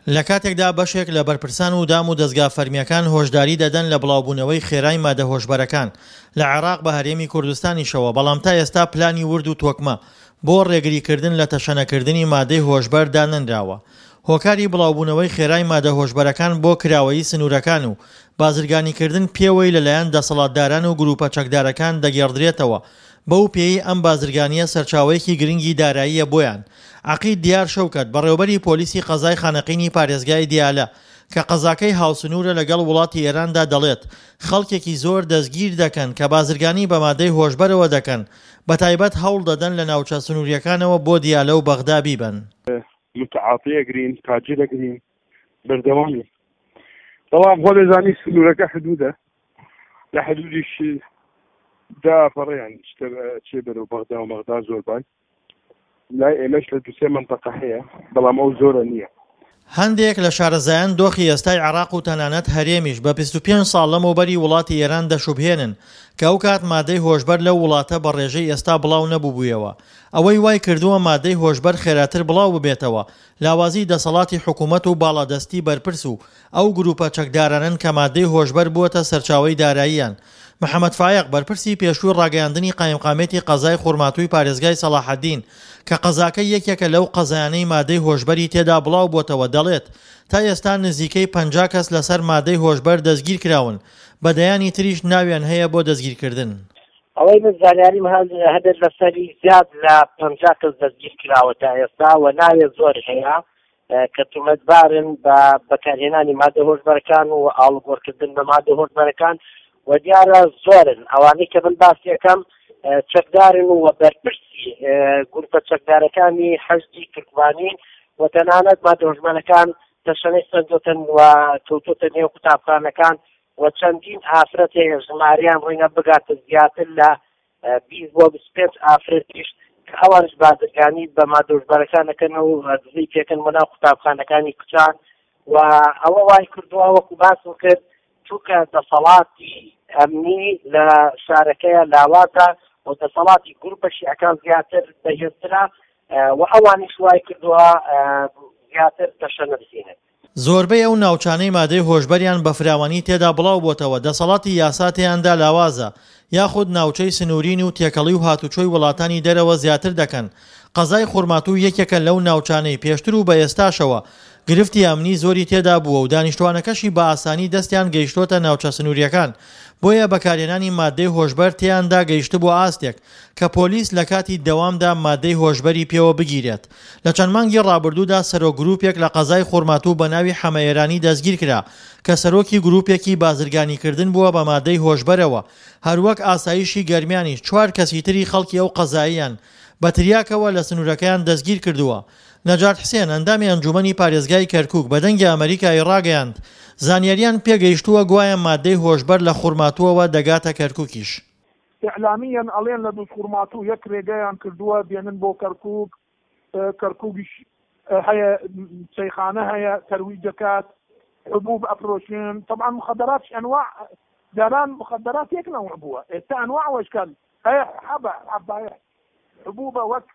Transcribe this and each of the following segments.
لە کاتێکدا بەشێک لە بەرپرسان و دام و دەزگا فەرمییەکان هۆشداری دەدەن لە بڵاوبوونەوەی خێرای مادە هۆشبەرەکان لە عێراق بە هەرێمی کوردستانیشەوە، بەڵام تا ئێستا پلانی ورد و تۆکمە بۆ ڕێگریکردن لە تەشەنەکردنی مادەی هۆشبەر دانەنراوە. هۆکاری بڵاوبوونەوەی خێرای مادە هۆشبەرەکان بۆ کراوەیی سنوورەکان و بازرگانیکردن پێوەی لەلایەن دەسەڵاتداران و گرووپە چەکدارەکان دەگێڕدرێتەوە، بەو پێیەی ئەم بازرگانییە سەرچاوەیەکی گرنگی داراییە بۆیان. عەقید دیار شەوکەت، بەڕێوەبەری پۆلیسی قەزای خانەقینی پارێزگای دیالە، کە قەزاکەی هاوسنوورە لەگەڵ وڵاتی ئێراندا دەڵێت، خەڵکێکی زۆر دەستگیر دەکەن کە بازرگانی بە مادەی هۆشبەرەوە دەکەن، بەتایبەت هەوڵ دەدەن لە ناوچە سنوورییەکانەوە بۆ دیالە و بەغدا بیبەن. متعاطی ئەگرین، تاجر ئەگرین، بەردەوامین. بەڵام خۆ دەزانی سنوورەکە حدوودە، لە حدودیش دا پەڕیان چێ بەرەو بەغدا و مەغدا زۆر بای لای ئێمەش لە دوسێ منتەقە هەیە بەڵام ئەو زۆرە نییە. هەندێک لە شارەزایان دۆخی ئێستای عێراق و تەنانەت هەرێمیش بە 25 ساڵ لەمەوبەری وڵاتی ئێران دەشوبهێنن کە ئەوکات مادەی هۆشبەر لەو وڵاتە بە ڕێژەی ئێستا بڵاو نەبووبوویەوە. ئەوەی وای کردووە مادەی هۆشبەر خێراتر بڵاو ببێتەوە لاوازی دەسەڵاتی حکوومەت و باڵادەستی بەرپرس و ئەو گرووپە چەکدارانەن کە مادەی هۆشبەر بووەتە سەرچاوەی داراییان. محەمەد فایەق، بەرپرسی پێشووی ڕاگەیاندنی قایمقامیەتی قەزای خورماتووی پارێزگای سەڵاحەدین، کە قەزاکە یەکێکە لەو قەزایانەی مادەی هۆشبەری تێدا بڵاوبووەتەوە، دەڵێت، تا ئێستا نزیکەی 50 کەس لەسەر مادەی هۆشبەر دەستگیرکراون، بە دەیانی تریش ناویان هەیە بۆ دەستگیرکردن. ئەوەی من زانیاریم هەبێت لەسەری زیاد لە 50 کەس دەستگیر کراوە تا ئێستا و ناوێ زۆر هەیە کە تومەتبارن بە بەکارهێنانی مادە هۆشبەرەکان و ئاڵوگۆڕکردن بە مادە هۆشبەرەکان و دیارە زۆرن ئەوانەی کە من باسیەکەم چەکدارن و بەرپرسی گروپە چەکدارەکانی حەشدی تورکمانین و تەنانەت مادە هۆشبەرەکان تەشەنەی سەندۆتن و کەوتۆتە نێو قوتابخانەکان و چەندین ئافرەت هەیە ژماریان ڕینە بگاتە زیاتر لە 20 بۆ 25 ئافرەتیش کە ئەوانش بازرگانی بە مادۆشبەرەکان دەکەن و دزی پێکەن بۆ ناو قوتابخانەکانی کچان و ئەوە وای کردووە وەکو باسم کرد چونکە دەسەڵاتی ئەمنی لە شارەکەیە لاوازە و دەسەڵاتی گروپە شیعەکان زیاتر بەهێزترە و ئەوانیش وای کردووە زیاتر تەشەنە بسێنن. زۆربەی ئەو ناوچانەی مادەی هۆشبەریان بە فراوانی تێدا بڵاوبۆتەوە دەسەڵاتی یاسا تێیاندا لاوازە یاخود ناوچەی سنوورین و تێکەڵی و هاتوچۆی وڵاتانی دەرەوە زیاتر دەکەن، قەزای خورماتوو یەکێکە لەو ناوچانەی پێشتر و بە ئێستاشەوە گرفتی ئەمنی زۆری تێدا بووە و دانیشتوانەکەشی بە ئاسانی دەستیان گەیشتۆتە ناوچە سنوورییەکان بۆیە بەکارهێنانی ماددەی هۆشبەر تێیاندا گەیشتبووە ئاستێک کە پۆلیس لە کاتی دەوامدا ماددەی هۆشبەری پێوە بگیرێت. لە چەند مانگی ڕابردوودا سەرۆک گرووپێک لە قەزای خورماتوو بە ناوی حەمە ئێرانی دەستگیرکرا کە سەرۆکی گرووپێکی بازرگانیکردن بووە بە ماددەی هۆشبەرەوە، هەروەک ئاسایشی گەرمیانیش چوار کەسی تری خەڵکی ئەو قەزایەیان بە تریاکەوە لە سنوورەکەیان دەستگیرکردووە. نەجات حسێن، ئەندامی ئەنجوومەنی پارێزگای کەرکووک بە دەنگی ئەمەریکای ڕاگەیاند، زانیاریان پێگەیشتووە گوایە ماددەی هۆشبەر لە خورماتووەوە دەگاتە کەرکووکیش. ئیعلامییەن ئەڵێن لە دوزخورماتوو یەک رێگەیان کردووە دێنن بۆ کەرکووک، کەرکووکیش هەیە چەیخانە هەیە تەرویج دەکات، حبوب ئەفرۆشن، تەبعەن مخدراتش ئەنواع جاران مخدرات یەک نەوع بووە ئێستا ئەنواع وەشکال هەیە حەبە حەبایە حبوبە وەک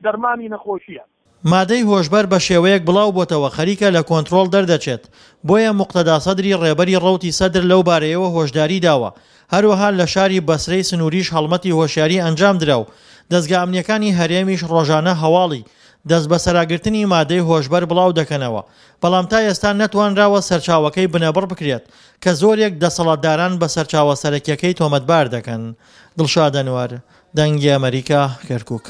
دەرمانی نەخۆشیە. مادەی هۆشبەر بە شێوەیەک بڵاو بۆتەوە خەریکە لە کۆنترۆڵ دەردەچێت، بۆیە موقتەدا سەدری ڕێبەری ڕەوتی سەدر لەو بارەیەوە هۆشداری داوە، هەروەها لە شاری بەسرەی سنووریش هەڵمەتی هۆشیاری ئەنجامدرا و دەزگا ئەمنییەکانی هەرێمیش ڕۆژانە هەواڵی دەستبەسەراگرتنی مادەی هۆشبەر بڵاو دەکەنەوە، بەڵام تا ئێستا نەتوانراوە سەرچاوەکەی بنەبڕ بکرێت کە زۆرێک دەسەڵاتداران بە سەرچاوە سەرەکیەکەی تۆمەتبار دەکەن. دڵشاد ئەنوەر، دەنگی ئەمەریکا، کەرکوک.